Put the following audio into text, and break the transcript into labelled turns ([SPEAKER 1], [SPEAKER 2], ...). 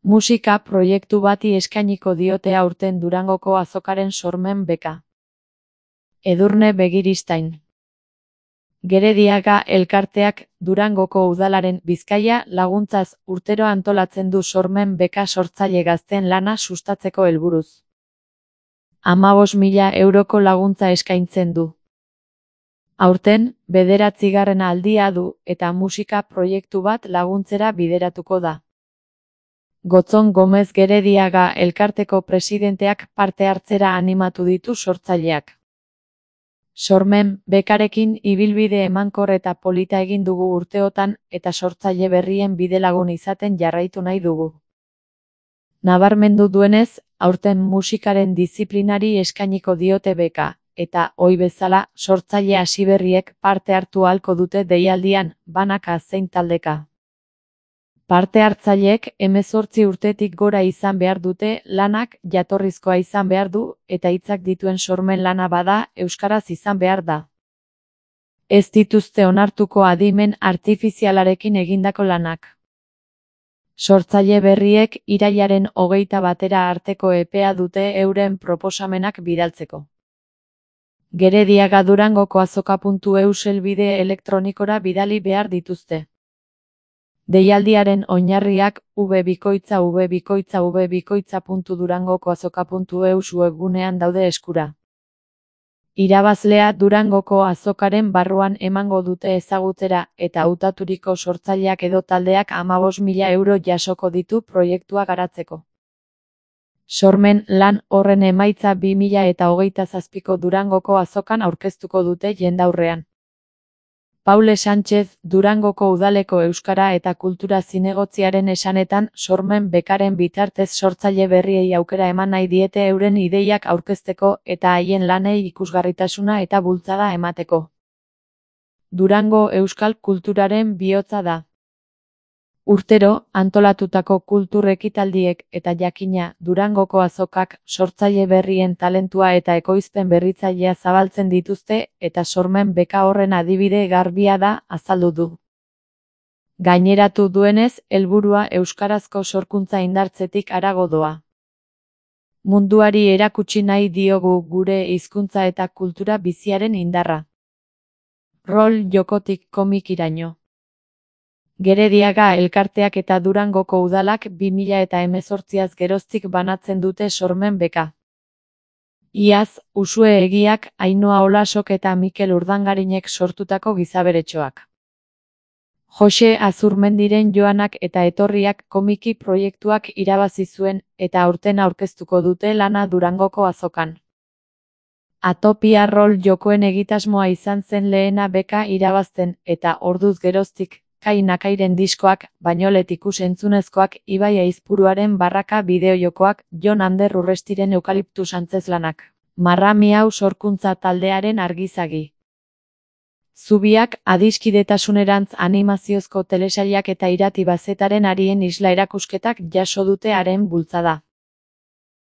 [SPEAKER 1] Musika proiektu bati eskainiko diote aurten Durangoko azokaren sormen beka. Edurne Begiristain. Gerediaga elkarteak Durangoko udalaren Bizkaia laguntzaz urtero antolatzen du sormen beka sortzaile gazteen lana sustatzeko helburuz. 15.000 euroko laguntza eskaintzen du. Aurten, 9. aldia du eta musika proiektu bat laguntzera bideratuko da. Gotzon Gomez Gerediaga elkarteko presidenteak parte hartzera animatu ditu sortzaileak. Sormen bekarekin ibilbide emankor eta polita egin dugu urteotan eta sortzaile berrien bidelagun izaten jarraitu nahi dugu. Nabarmendu duenez, aurten musikaren diziplinari eskainiko diote beka, eta ohi bezala sortzaile hasiberriek parte hartu ahalko dute deialdian, banaka zein taldeka. Parte hartzaileek 18 urtetik gora izan behar dute, lanak jatorrizkoa izan behar du, eta hitzak dituen sormen lana bada, euskaraz izan behar da. Ez dituzte onartuko adimen artifizialarekin egindako lanak. Sortzaile berriek irailaren 21 arteko epea dute euren proposamenak bidaltzeko. Gerediaga Durangoko azoka.eu helbide elektronikora bidali behar dituzte. Deialdiaren oinarriak www.durangoko-azoka.eu webgunean daude eskura. Irabazlea Durangoko azokaren barruan emango dute ezagutzera eta hautaturiko sortzaileak edo taldeak 15.000 euro jasoko ditu proiektua garatzeko. Sormen lan horren emaitza 2027ko Durangoko azokan aurkeztuko dute jendaurrean. Paule Sánchez, Durangoko udaleko euskara eta kultura zinegotziaren esanetan, sormen bekaren bitartez sortzaile berriei aukera eman nahi diete euren ideiak aurkezteko eta haien lanei ikusgarritasuna eta bultzada emateko. Durango euskal kulturaren bihotza da. Urtero, antolatutako kultur ekitaldiek eta jakina Durangoko azokak sortzaile berrien talentua eta ekoizpen berritzailea zabaltzen dituzte eta sormen beka horren adibide garbia da, azaldu du. Gaineratu duenez, helburua euskarazko sorkuntza indartzetik harago doa. Munduari erakutsi nahi diogu gure hizkuntza eta kultura biziaren indarra. Rol jokotik komikiraino. Gerediaga elkarteak eta Durangoko udalak 2018az geroztik banatzen dute sormen beka. Iaz, Usue Egiak, Ainhoa Olasok eta Mikel Urdangarinek sortutako gizaberetxoak. Jose Azurmendiren joanak eta etorriak komiki proiektuak irabazi zuen eta aurten aurkeztuko dute lana Durangoko azokan. Atopia rol jokoen egitasmoa izan zen lehena beka irabazten eta orduz geroztik, Kai Nakairen diskoak, Bainolet ikus-entzunezkoak, Ibai Aizpuruaren barraka bideojokoak, Jon Ander Urrestiren eukaliptus antzeslanak. Marra Miau sorkuntza taldearen argizagi. Zubiak, adiskidetasunerantz animaziozko telesailak eta Irati Bazetaren arien isla erakusketak jaso dute haren bultzada.